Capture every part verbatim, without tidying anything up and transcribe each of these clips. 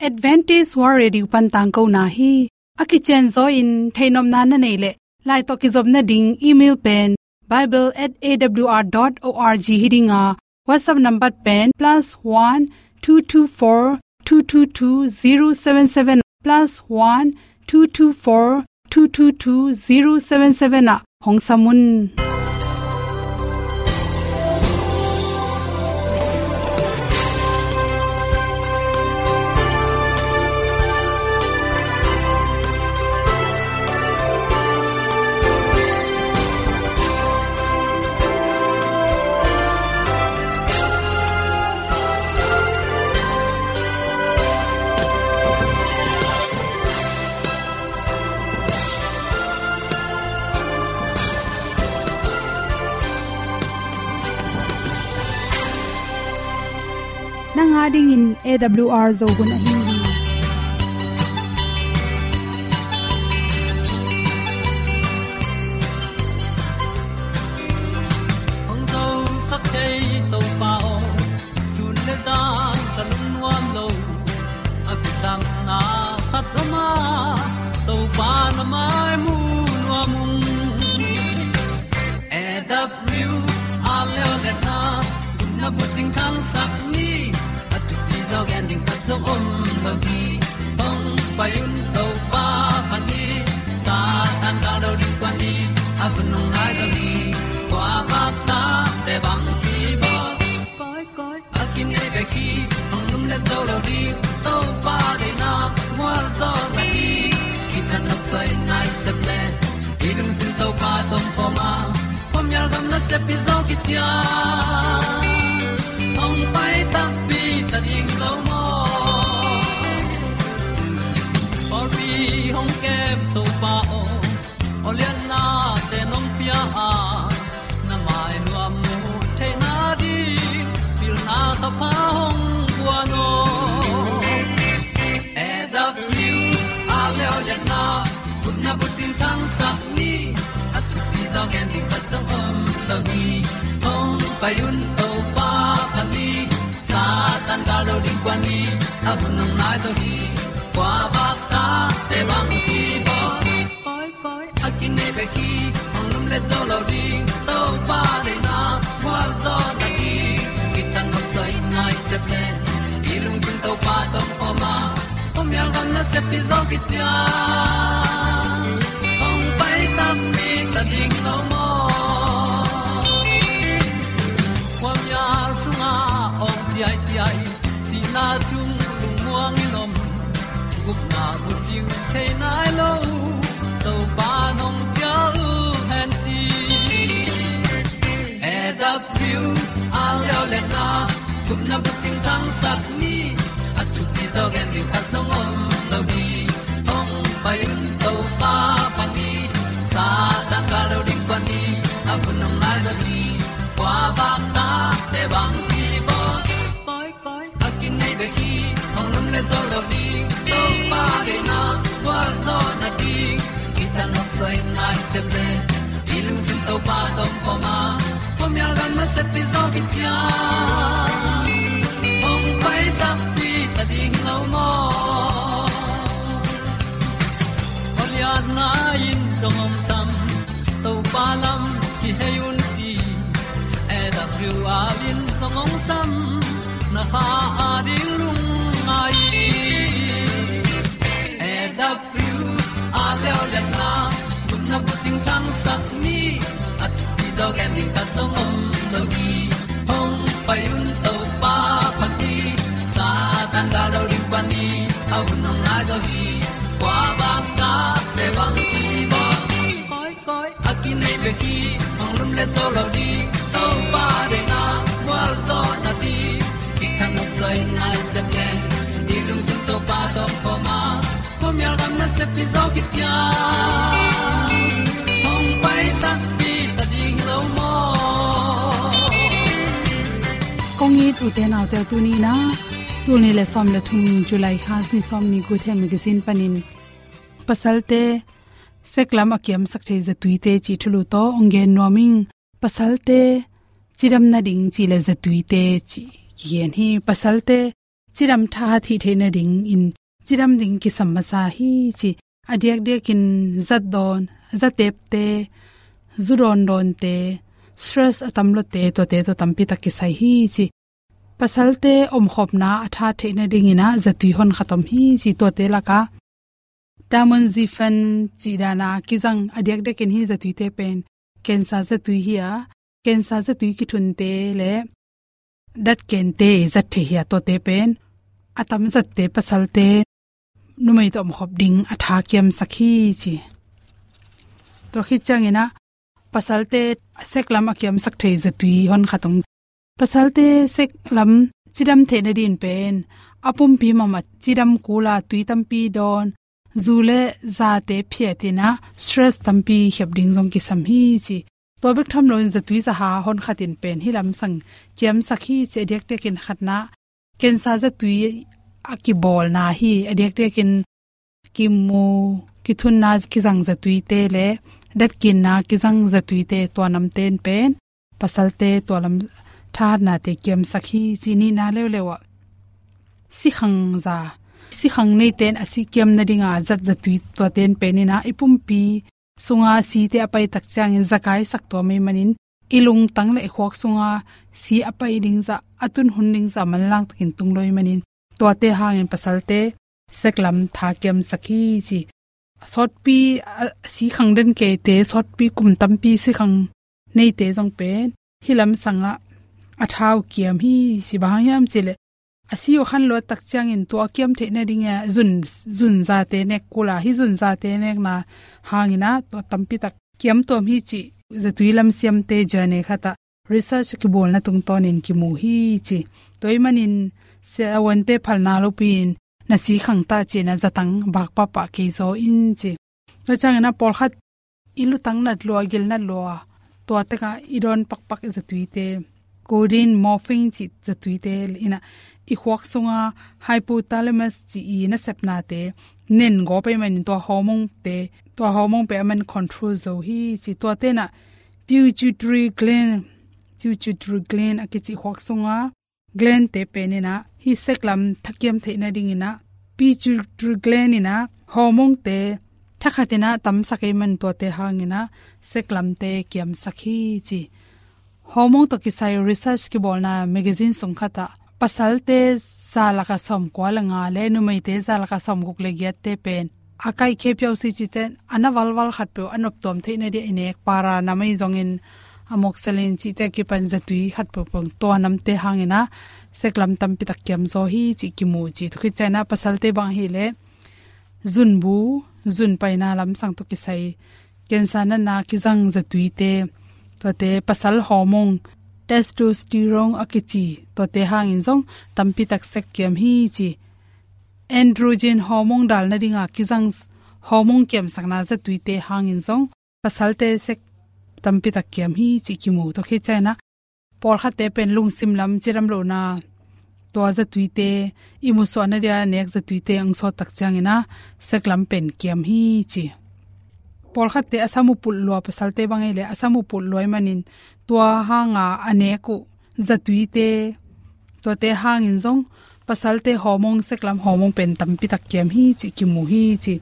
Adventist World Radio pan tangkona hi. A kicianzaw in theihnopna na neih leh, lai tawh kizopna ding email pen bible at A W R dot org hi ding a, WhatsApp number pen plus one two two four two two two zero seven seven, plus one two two four two two two zero seven seven ah hong sam un. Nang a dingin A W R Zo hun ahi hi. Hong zosak thei Topa aw, sun le zan ka lungnuam lo. A kisapna khat om a, Topa na mai mu nuam ung. A W R Zo hun na bucing khangsak ni, a thupi zaw gen ding khat zong om lo hi. Hong pai un Topa phat ni, Satan gal do ding kuan ni, a hun hong nai zaw ni. Kua vak ta te bang ki bawl. Koi, koi, a kinei bek hi, hong lumlet zo lo ding. Topa deihna mual zaw na hi. Kitang nok soi nai sep le, i lungsim Topa tawh om khawm a, khuamial gam nasep hi zaw kician. Hong pai takpi ta ding lo maw? Pawlpi hong kem Topa aw, awlianna te nong pia a, na mai nuam mu theihna ding pilna ka pha hong guan aw. A W R Zo hun na bucing khangsak ni, a thupi zaw gen ding khat zong om lo hi. Hong pai un Topa phat ni, Satan gal do ding kuan ni, a hun hong nai zaw hi. Kua vak ta te bang ki bawl. Koi, koi, a kinei bek hi, hong lumlet zo lo ding. Topa deihna mual zaw na hi. Kitang nok soi nai sep le, i lungsim Topa tawh om khawm a, khuamial gam nasep hi zaw kician. Hong pai takpi ta ding lo maw? Khuamial sungah awng ciaiciai, sihna sung lungmuang in om, gupna bucing thei nai lo, Topa nong cial hen ci. A W R Zo hun na gupna bucing khangsak ni, a thupi zaw gen ding khat zong om lo hi. Hong pai un Topa phat ni, Satan gal do ding kuan ni, a hun hong nai zaw hi. Kua vak ta te bang ki bawl. Koi, koi, a kinei bek hi, hong lumlet zo lo ding. Topa deihna mual zaw na hi. Kitang nok soi nai sep le, i lungsim Topa tawh om khawm a, khuamial gam nasep hi zaw kician. Hong pai takpi ta ding lo maw? Awlianna in zong hong sam, Topa lam kihei un ci. A W R in zong hong sam, na kha a ding lungngai. A W R Zo hun na gupna bucing khangsak ni, a thupi zaw gen ding khat zong om lo hi. Hong pai un Topa phat ni, Satan gal do ding kuan ni, a hun hong nai zaw hi. Kua vak ta te bang ki bawl. Koi, koi, a kinei bek hi, hong lumlet zo lo ding. Topa deihna mual zaw na hi. Kitang nok soi nai sep le, i lungsim Topa tawh om khawm a, khuamial gam nasep hi zaw kician. Hong pai takpi ta ding lo maw? Kong it ute naute, tuni in ah, tul nih le sawm le thum, July kha ni sawm ni, Good Health Magazine panin pasalte sek lam a kiamsak thei zatuite cih thulu tawh hong gen nuam ing. Pasalte cidam nading cih le zatuite cih kigen hi. Pasalte cidam thahat hih theih nadingin cidam ding kisam masa hi ci. A diakdiakin zat dawn, za tepte, zu dawndawnte, stress a tam lote, tuate tawh tampi tak kisai hi ci. Pasalte omkhopna a thahat theih nadingin ah zatui honkhat om hi ci, tuate lakah tamoxifen cih dana kizang a diakdiakin hih zatuite pen cancer zatui hi a, cancer zatui kithunte le datkente zat thei hi a, tuate pen a tamzatte pasalte numei tawh omkhop ding a tha kiamsak hi ci. Tua khit ciangin ah pasalte sek lam a kiamsak thei zatui honkhat om. Pasalte sek lam cidam theih nadingin pen a pumpi mahmah cidam kul a, tui tampi dawn, zu le zate phiatin ah stress tampi khiap ding zong kisam hi ci. Tua bek tham loin zatui zaha honkhat in pen hih lamsang kiamsak hi ci. A diakdiakin khatna cancer zatui a kibawlna hi. A diakdiakin kimu, kithunna kizang zatuite le datkinna kizang zatuite, tua namte in pen pasalte tua lam thahatnate kiamsak hi ci. Nihna leuleu ah sikhang za, sikhang neite in a si kiam nadinga zat zatui, tuate in pen in ah i pumpi sunga site a pai tak ciangin zakaisak tua mei manin i lungtang le i khuak sunga si a pai ding zah, a tun hun ding zah manlang takin tung lo i manin, tuate hangin pasalte sek lam tha kiamsak hi ci. Sawtpi a, sikhang den keite, sawtpi kum tampi sikhang neite zong pen hih lamsang ah a tha uh kiam hi ci. Bang hang hiam cih leh a si uh khanluat tak ciangin tua a kiam theih nading a zun, zun zate nek kul a, hih zun zate nekna hangin ah tua tampi tak kiam tuam hi cih zatui lamsiamte journal khat ah research a kibawlna tungtawnin kimu hi ci. Tua i manin siavuante phalna lopi-in na sikhang ta ci-in ah zatang bak pahpah kei zaw in ci. Tua ciangin ah pawlkhat i lutang nat lua, gil nat lua, tua tengah i dawn pakpak i zatuite, codeine, morphine cih zatuite in ah i khuak sunga hypothalamus cih i nasepnate nen gawp ahih manin tua hormone-te, tua hormone pen aman control zo hi ci. Tuate in ah pituitary gland, pituitary gland a kici khuak sunga gland-te pen in ah hih sek lam tha kiam theih nadingin ah pituitary gland in ah hormone-te thakhat in ah tamsak ahih man tuate hangin ah sek lamte kiamsak hi ci. Hormone tawh kisai research kibawlna magazine sung khat ah pasalte za lakah sawmkua le nga le numeite za lakah sawmguk le giatte pen a kaihkhia piau si cihte in a na valval khatpeuh a noptuam theih nading a i nek para nam ahi zongin amoxicillin cihte a kipan zatui khatpeuh peuh tua namte hangin ah sek lam tampi tak kiam zaw hi cih kimu ci. Tua khit ciangin ah pasalte bang ahih leh zunbu, zun paina lamsang tawh kisai cancer natna kizang zatuite, tuate pasal hormone, testosterone a kici, tuate hangin zong tampi tak sek kiam hi ci. Androgen hormone dal nadinga kizang hormone kiamsakna zatuite hangin zong pasalte sek tampi tak kiam hi cih kimu. Tua khit ciangin ah pawlkhatte pen lungsim lam cidam lohna tua zatuite, i musuahna dia nek zatuite ang sawt tak ciangin ah sek lam pen kiam hi ci. Pawlkhatte a sam uh pulh lua, pasalte bang ahih leh a sam uh pulh lua ahih manin tua hanga a nek uh zatuite, tuate hangin zong pasalte hormone, sek lam hormone pen tampi tak kiam hi cih kimu hi ci.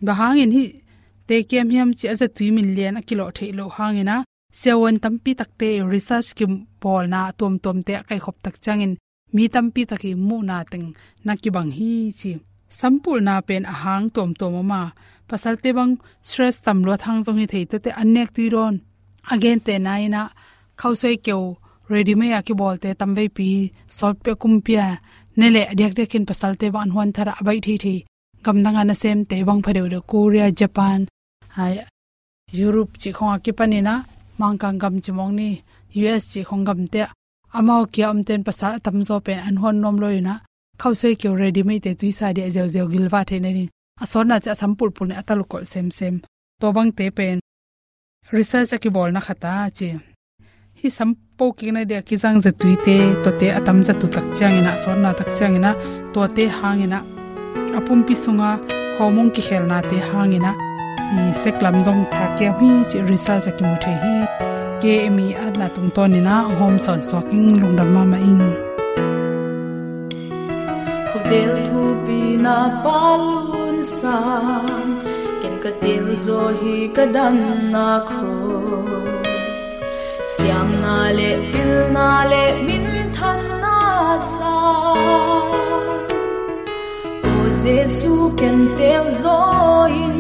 Bang hangin hihte kiam hiam cih a zatui min lian a kilawh theih loh hangin ah siavuan tampi takte research kibawlna a tuamtuamte a kaihkhop tak ciangin mi tampi tak i muhna teng na kibang hi ci. Sampulna pen a hang tuamtuam om a, pasalte bang stress tam luat hang zong hi thei, tuate an nek tui dawn. A gentehna in ah khausuai keu ready-made a kibawlte tamveipi sawtpi a kumpi a ne leh a diakdiakin pasalte bang an huanthar a, a baih theithei gamdang a nasemte bang phadeuhdeuh, Korea, Japan, ai, Europe cih khong a kipanin ah Mangkang gam ci mawk ni, U S cih khong gamte ah amau kia omten pasal a tamzaw pen an huan nuam lo in ah khausuai keu ready-made-te tuisa dia ziauziau gilvah theih nading a sawtna ci a sam pulpul nih a taluk kolh semsem. Tua bangte pen research a kibawlna khat a ci. Hih sam po kikna dia kizang zatuite, tuate a tam zatu tak ciangin ah, sawtna tak ciangin ah, tuate hangin ah a pumpi sunga hormone kikhelnate hangin ah i sek lam zong tha kiam hi cih research a kimu thei hi. Kei mi atna tungtawnin ah hong hawm sawnsuak ing, lungdam mahmah ing. Tel thupi na Pa Lun Sang, ken ka tel zaw hi ka dan na cross. Siamna le pilna le minthanna sang, O Jesu, ken tel zaw in.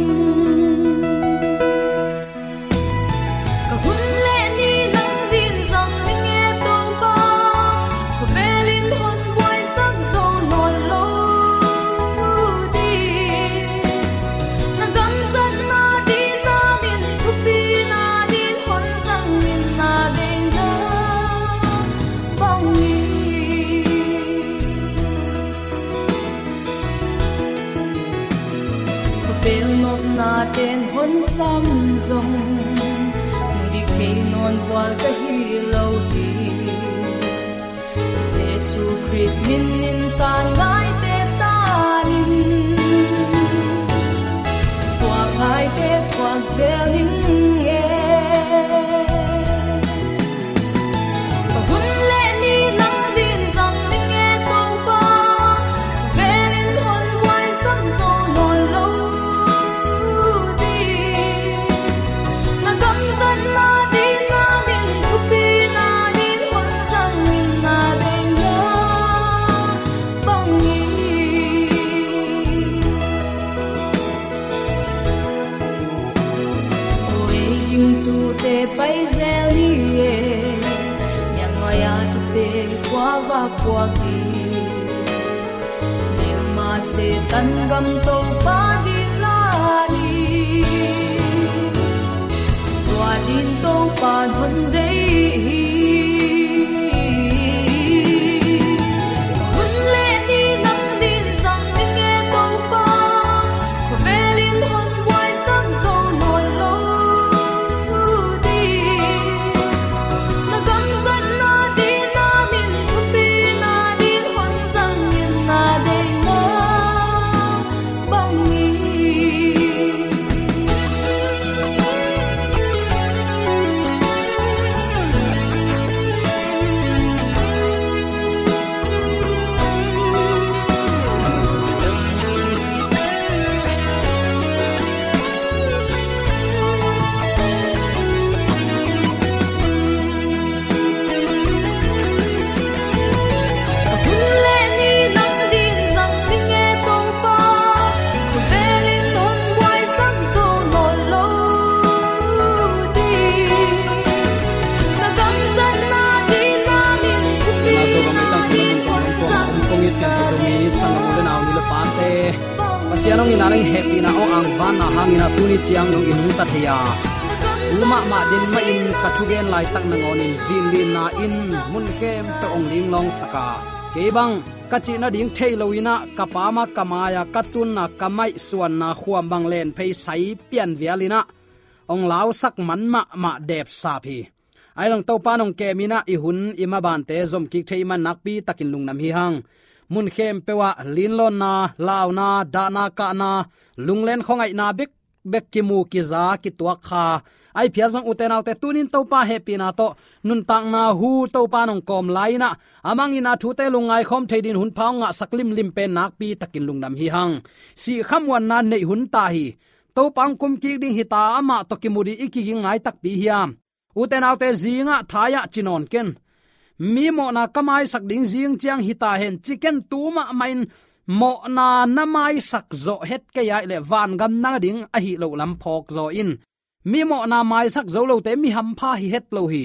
Ka hun le ni nang din zang ning e Topa, ka velin hon buaisak zo nawn lo ding. Na gamzatna din na min, thupina din hon zang in, na deihna bangin. Ka velnopna ten hon sam zong, hong dik thei nawn vual ka hi lo hi. Jesu Khrist min in tan ngaite tan in, thuak ngaite thuak zel ning e. Ka hun le ni nang din zang ning e Topa, ka velin hon buaisak zo nawn lo ding. Na gamzatna din na min, thupina din hon zang in, na deihna bangin. O ei gingtute pai zel ni e, niangngoi a tute kua va puak hi. Limah Satan gam Topa din la ni, tua din Topa hon deih hi. Hun le ni nang din zang ning e Topa, ka velin hon buaisak zo nawn lo ding. Na gamzatna din na min, thupina din hon zang in, na deihna bangin. Ka hun le ni nang din zang ning e Topa, ka velin hon buaisak zo nawn lo ding. Na gamzatna din na min, thupina din hon zang in, na deihna bangin. Pasian hong ina leng hehpihna hong angvanna hangin a tuni ciang dong i nungta thei a, tu mahmah din mahin ka thugen laitak nangawnin zinlinna in mun khempeuh hong linglawngsak a, kei bang ka cih nading thei loin ah ka pam a ka mai a ka tun a ka maihsuanna khuam bang len phei sai pian vialin ah hong lausak man mahmah depsap hi. Ahi zong Topa in hong kemin ah i hun i mabante zomkik thei man nakpi takin lungdam hi hang. Mun khempeuh ah linlawnna, launa, dahna, kahna, lunglen khuangaihna bek bek kimu, kiza, kituak kha ahi phial zong, ute naute, tunin Topa hehpihna tawh nuntakna hu Topa in hong kawm lai-in ah, a mangin a thute lungngai khawm thei din hun pha hong ngahsak limlim pen nakpi takin lungdam hi hang. Sihkhamuanna neih hun ta hi. Topa hong kumkik ding hi ta, amah tawh kimu ding i kiging ngai takpi hiam? Ute naute, zingah thai-ah ci nawn ken. Mi mawhna ka maisak ding zing ciang hi ta hen ci ken, tu mahmahin mawhna na maisak zawh het kei a, ahih leh vangam na ding ahih loh lam phawk zaw in. Mi mawhna maisak zo lote mi hampha hi het lo hi.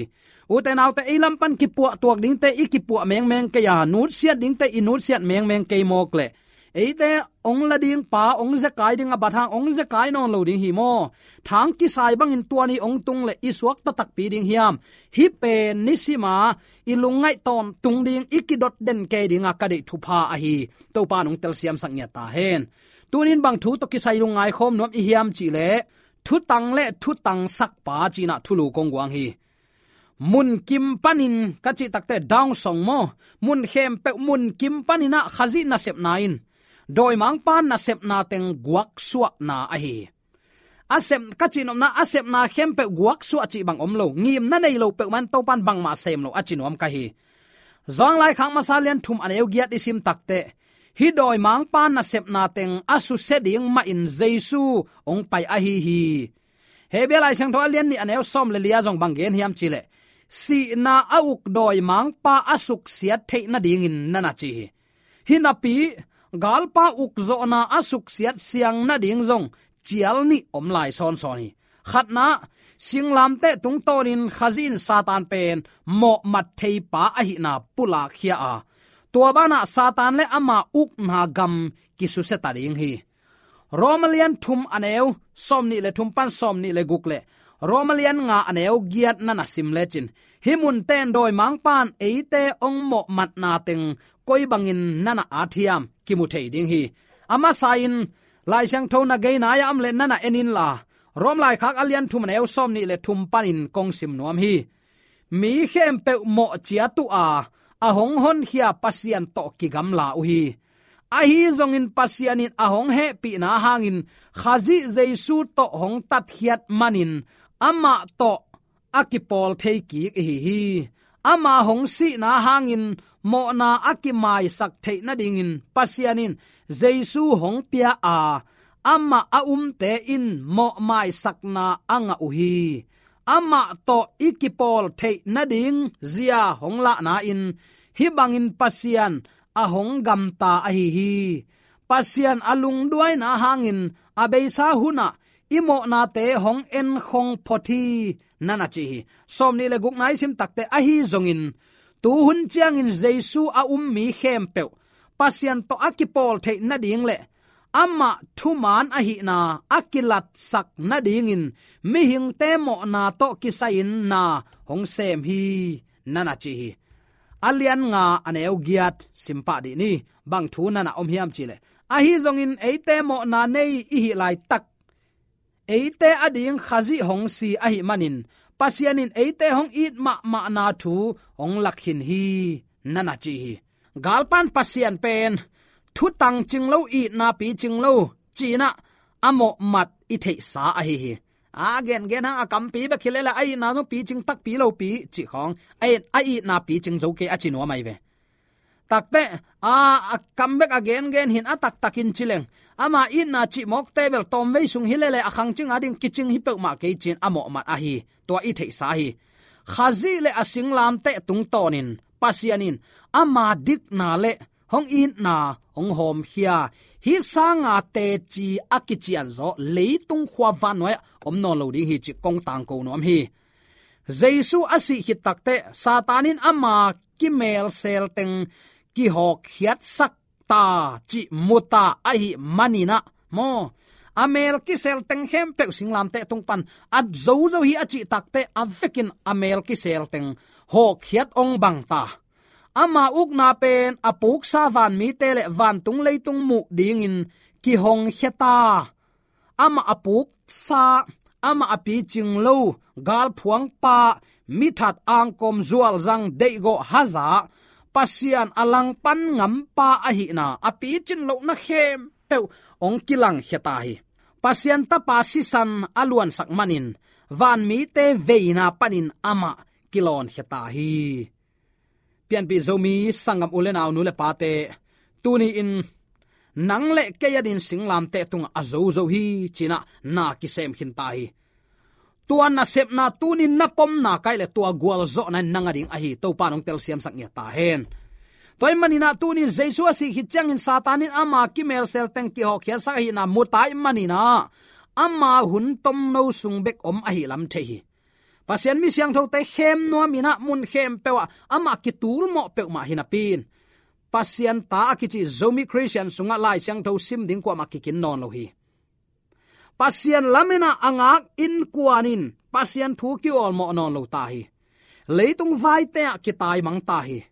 Ute naute, ei lam pan kipuah tuak dingte i kipuah mengmeng kei a, nutsiat dingte i nutsiat mengmeng kei mawk leh, eite hong la ding pa, hong zekai ding a bat hang, hong zekai nawn lo ding hi maw? Thang kisai bangin tua ni hong tung leh i suakta takpi ding hiam? Hih pen nisima i lungngaih tawntung ding, i kidot den kei dinga ka deih thupha ahi. Topa in hong telsiamsak ngiat ta hen. Tunin bang thu tawh kisai lungngai khawm nuam i hiam cih leh, thutang le thutang sakpa ci-in ah thulu kong guang hi. Mun kim panin ka cih takteh, down song maw, mun khempeuh mun kim panin ah Khazih nasepna in dawimangpa nasepna teng guaksuahna ahi hi. A sep, ka cihnopna, a sepna khempeuh guaksuah cih bang om lo. Ngimna nei lo peuhmah in Topa in bangmah sem lo a ci nuam ka hi. Johan laikhak masa lian thum a neu giat i sim takteh, hih dawimangpa nasepna teng a susia ding mahin Jesu hong pai ahi hi. Hebru Lai Siangtho a lian nih a neu sawm le li ah zong bang gen hiam cih leh, sihna a uk dawimangpa a suksiat theih nadingin na na ci hi. Hinapi, galpa ukzawhna a suksiat siang nading zong cial nih om lai sawnsawn hi. Khatna, singlamteh tungtawnin Khazih in Satan pen mawhmat theipa ahihna pulakkhia a, tua banah Satan le ama ukna gam kisusia ta ding hi. Roma lian thum a neu sawm nih le thum pan sawm nih le guk le Roma lian nga a neu giat na na sim lecin, hih munten dawimangpan eite hong mawhmatna teng koi bangin na na at hiam kimu thei ding hi. A masa-in Lai Siangtho na gei nai-ah om le na na en inla, Rom laikhak a lian thum a neu sawm nih le thum panin kong sim nuam hi. Mi khempeuh mawh ciat uh a, a hong honkhia Pasian tawh kigamla uh hi. Ahi zongin Pasian in a hong hehpihna hangin Khazih Jesu tawh hong tatkhiat manin amah tawh a kipawl thei kik ihi hi. Ama hong sihna hangin mawhna a kimaisak theih nadingin Pasian in Jesu hong pia a, amah a umte in mawhmaisakna a ngah uh hi. Amah tawh i kipawl theih nading zia hong lahna in hih bangin Pasian a hong gamta ahi hi. Pasian a lungduaina hangin a beisa hunah i mawhnate hong enkhong phot hi, na na ci hi. Sawm nih le guk nai sim takteh, ahi zongin tu hun ciangin Jesu a um mi khempeuh Pasian tawh a kipawl theih nading le amah thuman ahihna a kilatsak nadingin mihingte mawhna tawh kisai-in na hong sem hi, na na ci hi. A lian nga a neu giat simpah dih ni. Bang thu na na om hiam cih leh, ahi zongin eite mawhna nei i hih laitak eite ading Khazih hong si ahih manin Pasian in eite hong it mahmahna thu hong lak khin hi, na na ci hi. Galpan Pasian pen thutang cing lo, itna picing lo, ci-in ah a mawhmat i theihsa ahi hi. A gengen hang a kampi bek hi lele, a itna zong picing takpi lopi cih khawng, a it, a itna picing zo kei a ci nuam ahi ve. Takteh a, a kam bek a gengen hi-in a taktakin ci leng, ama itna cihmawkte bel tawmvei sung hi lele, a khangcing ading kicing hi peuhmah kei ci-in a mawhmat ahi, tua i theihsa hi. Khazih le a singlamteh tungtawnin Pasian in ama dikna le hong itna hong hawmkhia, hih sanga teci a kicianzaw leitung khua vannuai-ah om nawn lo ding hi cih kong tangko nuam hi. Jesu a sih khit takteh Satan in ama kimelsel teng kihawkkhiatsak ta cih mu ta ahih manin ah maw, a mel kisel teng khempeuh singlamteh tung pan a zozo hi a cih takteh a vekin a mel kisel teng hawkkhiat hong bang ta. Ama ukna pen a puksa vanmite le vantung leitung muh dingin kihongkhia ta. Amah a puksa, amah a picing lo, galphuangpa, mithat, angkawm, zualzang, deihgawh, haza, Pasian a langpan ngampa ahihna, a picin lohna khempeuh hong kilangkhia ta hi. Pasian Tapa sisan a luansak manin vanmite veina panin amah kilawnkhia ta hi. Pianpih Zomi sanggam u le nau, nu le pate, tuni-in nang le kei adingin singlamteh tungah a zozo hi ci-in ah na kisem khin ta hi. Tua nasepna tuni-in na pomna ka hih leh tua gualzawhna in nang ading ahi, Topa in hong telsiamsak ngiat ta hen. Tua ahih manin ah tuni-in Jesu a sih khit ciangin Satan in ama kimelsel teng kihawkkhiatsak ahihna mu ta ahih manin ah ama hun tomno sung bek om ahih lam thei hi. Pasian mi siangthote khem nuam-in ah mun khempeuh ah amah kitulmawh peuhmah hi napi-in, Pasian ta a kici Zomi Khristian sungah Lai Siangtho sim ding kuamah kikin nawn lo hi. Pasian lamin ah a ngak innkuan in Pasian thu kiawlmawh nawn lo ta hi. Leitung vaite ah kitaimang ta hi.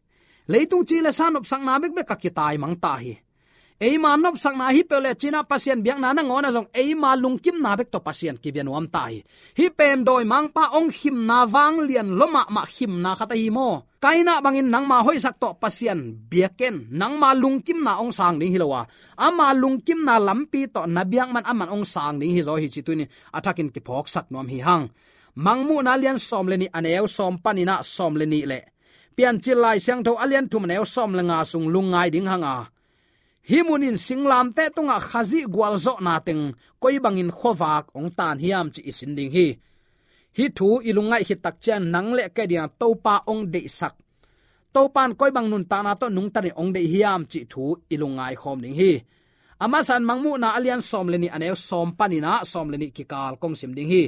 Leitung ci le sa nopsakna bekbek ah kitaimang ta hi. Eima nopsakna hi peuh le ci-in ah Pasian biakna nangawn ah zong eima lungkimna bek tawh Pasian kibia nuam ta hi. Hih pen dawimangpa hong khimna vanglian lua mahmah khimna khat ahi maw. Kaina bangin nangma hoihsak tawh Pasian bia ken, nangma lungkimna hong sang ding hi lo a, ama lungkimna lampi tawh na biak man aman hong sang ding hi zaw hi ci tuni-in a thakin kiphawksak nuam hi hang. Mangmuhna lian sawm le nih a neu sawm panin ah sawm le nih le Piancil Lai Siangtho a lian thum a neu sawm le nga sung lungngai ding hang a, Hih munin singlamteh tungah Khazih gualzawhna teng koi bangin khuavak hong tan hiam cih i sin ding hi. Hih thu i lungngaih khit tak ciang nang le kei dingah Topa hong deihsak, Topa in koi bang nuntakna tawh nungtanin hong deih hiam cih thu i lungngai khawm ding hi. A masa in Mangmuhna a lian sawm le nih a neu sawm panin ah sawm le nih kikal kong sim ding hi.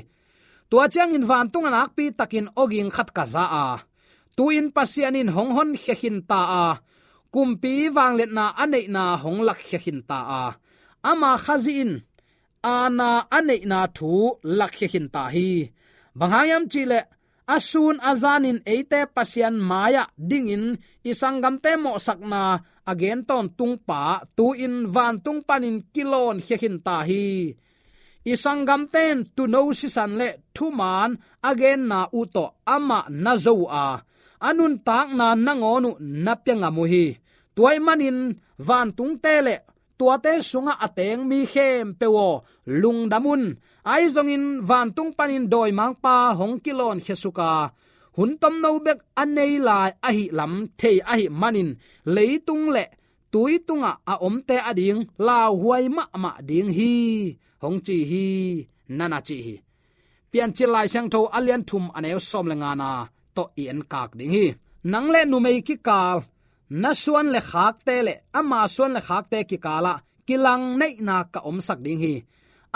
Tua ciangin vantung a nakpi takin awging khat ka za a, tu-in Pasian in hong honkhia khin ta a, kumpi vangliatna a neihna hong lakkhia khin ta a, ama Khazih in aana a neihna thu lakkhia khin ta hi. Bang hang hiam cihleh, a sun a zanin eite Pasian mai-ah dingin i sanggamte mawhsakna a gen tawntungpa tu-in vantung panin kilawnkhia khin ta hi. I sanggamte in tuuno sisan le thumaan a genna uh tawh amah na zo uh a, a nuntakna nangawn uh na pia ngam uh hi. Tua ahih manin vantungte le tuate sungah a teng mi khempeuh aw, lungdam un. Ahi zongin vantung panin dawimangpa hong kilawnkhia suk a, hun tomno bek a nei lai ahih lam thei ahih manin leitung le tui tungah a omte ading lauhuai mahmah ding hi, hong ci hi, na na ci hi. Piancil Lai Siangtho a lian thum a neu sawm le ngana tawh i enkak ding hi. Nang le numei kikal, na suan le khakte le ama suan le khakte kikalah kilang neihna ka omsak ding hi.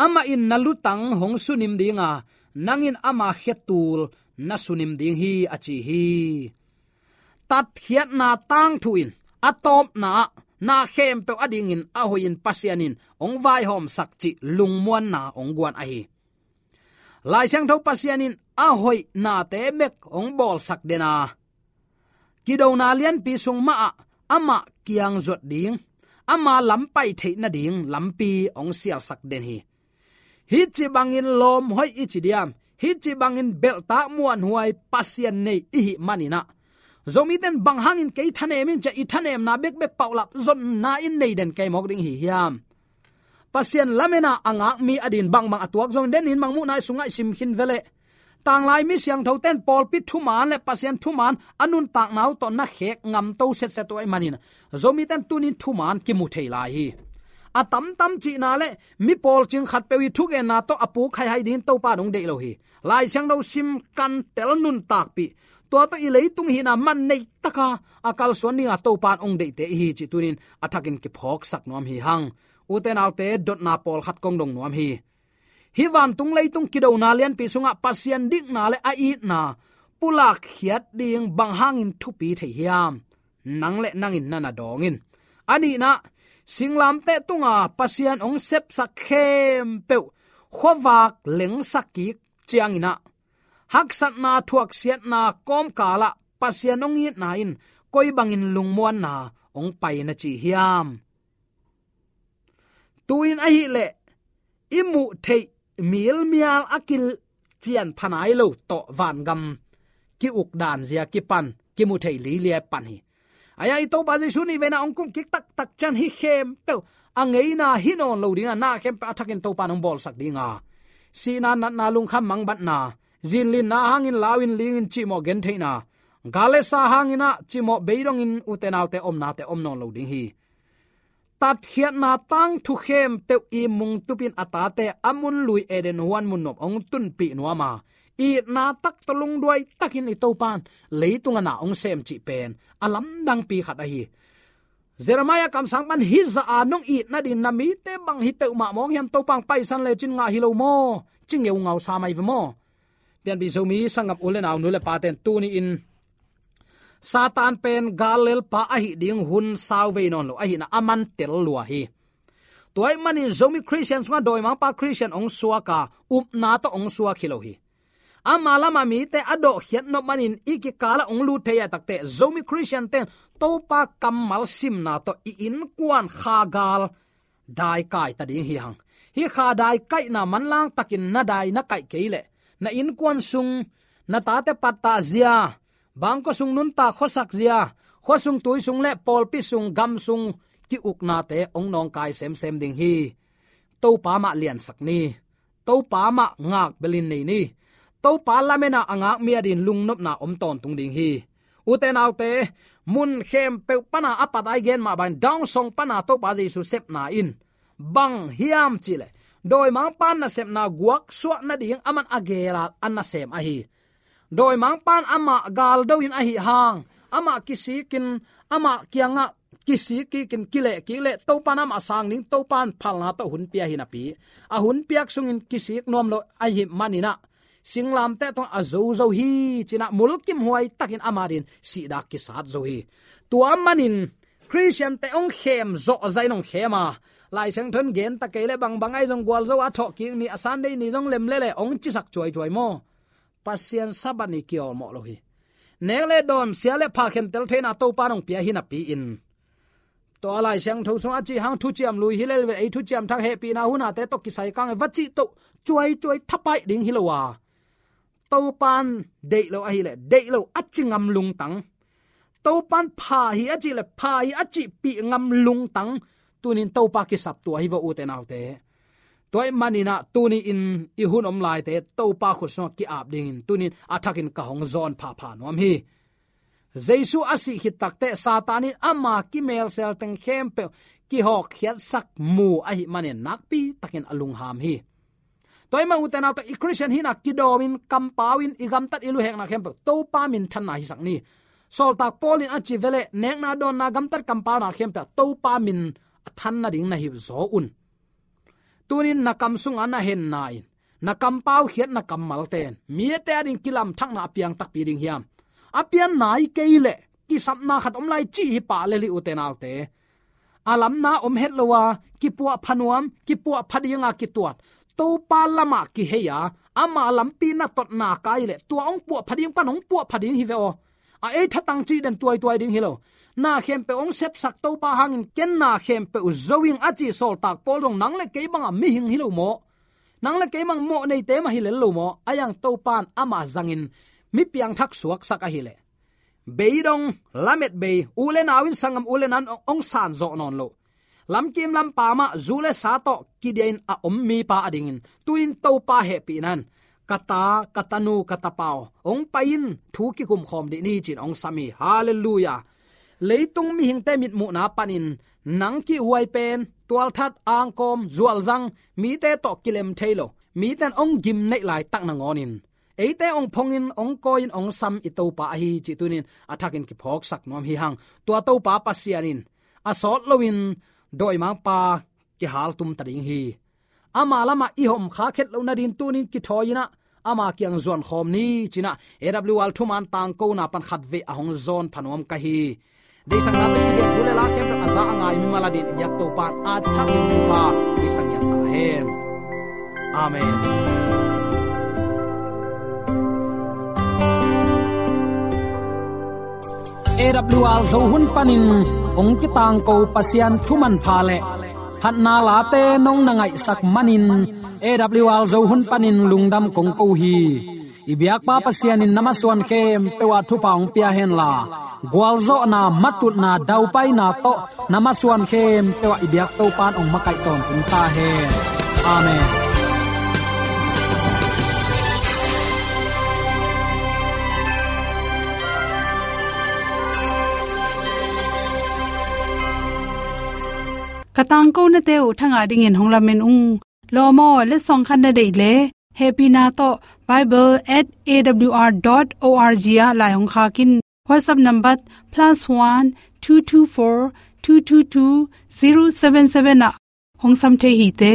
Amah in na lutang hong sunim ding a, nang in ama khetul na sunim ding hi, a ci hi. Tatkhiatna tangthu in a tawpna ah na khempeuh adingin a hoihin Pasian in hong vaihawmsak cih lungmuanna hong guan ahi. Lai Siangtho Pasian in a hoih nate bek hong bawlsak den a, kidona lianpi sung mahah amah kiang zuat ding, ama lam pai theih nading lampi hong sialsak den hi. Hih ci bangin lawm hoih i ci diam, hih ci bangin belhtak muanhuai Pasian nei i hih manin ah, Zomite in bang hangin kei thanem in ci-a i thanemna bekbek paulap zonna in nei den kei mawk ding hi hiam? Pasian lamena a ngak mi adin bangbang a tuak zong den in Mangmuhna i sungah i sim khin ve leh, tanglai mi siangthote in pawlpi thuman le Pasian thuman a nuntakna uh tawh na khek ngamto setset uh ahih manin Zomite in tuni in thuman kimu thei lai hi. A tamtam cihna le mi pawlcing khatpeuh i thugenna tawh a puk haihai dingin Topa in hong deih lo hi. Lai Siangtho sim, kantel, nuntakpih, tua tawh i leitung hihna man neitaka a kalsuan dinga Topa in hong deihte i hi cih tuni in a thakin kiphawksak nuam hi hang. Ute naute, dotna pawlkhat kong dong nuam hi. Hih vantung leitung kidona lianpi sungah Pasian dikna le a itna pulakkhiat ding bang hangin thupi thei hiam? Nang le nangin na na dawng in. A nihna, singlamteh tunga Pasian hong sepsak khempeuh khuavak lengsak kik ciangin ah, haksatna thuaksiatna kawmkalah Pasian hong itna in koi bangin lungmuanna hong pai na ci hiam? Tu-in ahih leh i muh theih milmial a kician pha nai lo tawh vangam ki-uk dan zia kipan kimu thei lilia pan hi. Ahi hang i Topa Jesu nih veina hong kum kik taktak ciang hih khempeuh a ngeina hi nawn lo dinga, na khempeuh a thakin Topa in hong bawlsak dinga, sihna, natna, lungkham, mangbatna, zinlinna hangin lau in ling in cihmawh gentheihna, gal le sa hangin ah cihmawh beidongin ute naute omnate om nawn lo ding hi. Tatkhiatna tangthu khempeuh i mungtupin a tate a mun lui Eden huan mun nuam hong tunpih nuam a, itna tak tawh lungduai takin i Topa in leitung a na hong sem cih pen a lamdangpi khat ahi. Jeremiah kamsang pan hih zah a nong it nadin na mite bang hi peuhmah mawk hiam, Topa hong paisan lecin ngah hi lo maw, ci ngeungau sa mai ve maw? Pianpih Zomi sanggam u le nau, nu le pate in tuni in Satan pen gal lelpa ahih ding hun sau vei nawn lo ahihna a man tel lua hi. Tua ahih manin Zomi Khristian sungah dawimangpa Khristian hong suak a, upna tawh hong suak hi lo hi. Ama lama mite a dawhkhiat nop manin i kikalah hong lut thei a, takte Zomi Khristiante in Topa kammal simna tawh i innkuan kha gal dai kaita ding hi hang. Hih kha dai kaihna manlang takin na dai na kaih kei leh, na innkuan sung na tate pattah zia, bangkua sung nuntak khuasak zia, khua sung tui sung le pawlpi sung gam sung ki-uknate hong nawngkai semsem ding hi. Topa mah liansak ni. Topa mah ngak belin nei ni. Topa lamena a ngak mi adin lungnopna om tawntung ding hi. Ute naute, mun khempeuh pana a pat a i gen mah bangin Dawn song pana Topa Jesu sepna in bang hiam cihleh, dawimangpa nasepna guaksuah nading aman a gel a, a nasem ahi. Dawimangpan amah galdo in ahi hang, amah kisikin, amah kiangah kisik kikin, kileh kik leh Topan amah sang ding, Topan phalna tawh hun pia hi napi, a hun piak sungin kisik nuam lo ahi maninah singlamteh tungah a zozo hi cinah mulkimhuai takin ama din sihdak kisat zo hi. Tua manin Khristiante hong khem zawhzahin hong khem a, Lai Siangtho in gen ta kei leh bangbang ahi zong gualzo a thawhkik ni a Sunday ni zong lem lele hong cisak cuaicuai maw? Pasian Sabbath ni kiawlmawh lo hi. Nek le dawn, sia le pha khentel theihna Topa in hong pia hi napi-in, tua Lai Siangtho sung a cih hang thuciam lui hi lel ve, ei thuciam thak hehpihna hunate tawh kisai kang e va cih toh cuaicuai thapaih ding hi lo a, Topan deih lo ahileh deih lo a ci ngam lungtang, Topan pha hi a cih leh pha hi a cihpih ngam lungtang, tunin Topa kisap tua hi vo, ute naute. Tua ahih maninah tuni-in i hun om laite Topa khut sungah ki-ap dingin tunin a thakin ka hong zawn phapha nuam hi. Jesu a sih khit takteh Satan in ama kimelsel teng khempeuh kihawkkhiatsak mu ahih manin nakpi takin a lungham hi. Tua ahih man ute naute, i Khristian hihna kidawmin kampau in i gamtat i luhekna khempeuh Topa minthanna hisak ni. Sawltak Paul in a ci veleh nekna dawnna gamtat kampauna khempeuh Topa min a than nading na hi zaw un. Tunin na kam sungah na henna in, na kampau khiatna kammalte in mite ading kilamthakna a piang takpi ding hiam? A pian nai kei leh kisapna khat om lai cih hi pah lel hi, ute naute. A lamna om het lo a, kipuahpha nuam, kipuahpha dinga kituat, Topa lamah kihei a, ama lampi na totna kai leh tua hong puahpha ding pan hong puahpha ding hi ve aw. A ei thatang cih den tuaituai ding hi lo. Na khempeuh hong sepsak Topa hangin ken na khempeuh zo ing a ci Sawltak Paul zong nang le kei banga mihing hi lo maw? Nang le kei bang mawh neite mah hi lel lo maw? A yang Topan ama zangin mi piangthak suaksak ahileh, beidong, lamet bei, u le nau in sanggam u le nan hong san zawh nawn lo. Lamkim lampa mah zu le sa tawh kidiahin a om mipa adingin tuin Topa hehpihna in, ka ta, ka tanu, ka tapa aw, hong pai in, thu kikumkhawm dih ni, ci-in hong sam hi. Halleluiah. Leitung mihingte mitmuhna panin nang kihhuai pen, tualthat, angkawm, zualzang, mite tawh kilem thei lo, mite in hong gim neih laitak nangawnin eite hong phongin, hong kawi-in, hong sam i Topa ahi cih tunin a thakin kiphawksak nuam hi hang. Tua Topa Pasian in a sawt loin dawimangpa kihaltum ta ding hi. Ama lamah i hawm khak het loh nadin tunin kithawi-in ah ama kiang zuankhawm ni, ci-in ah A W R thuman tangkona pan khatvei a hong zawn pha nuam ka hi. Deihsakna tawh kigen thu le la khempeuh a za a ngai mimal adingin i biak Topa in a thakin thupha hong pia ngiat ta hen. Amen. A W R Zo hun panin hong kitangko Pasian thu manpha le phatna late nong na ngaihsak manin A W R Zo hun panin lungdam kong ko hi. I biakpa Pasian in na masuan khempeuh ah thupha hong pia henla, gualzawhna, matutna, daupaina tawh na masuan khempeuh ah i biak Topa in hong makaih tawntung ta hen. Amen. Ka tangkonate uh thangah dingin hong lamen ung. Lawm aw, letsong khat na deih leh hehpihna tawh bible at A W R dot O R G ah lai hong khak in. WhatsApp number plus one two two four two two two zero seven seven ah hong sam thei hi te.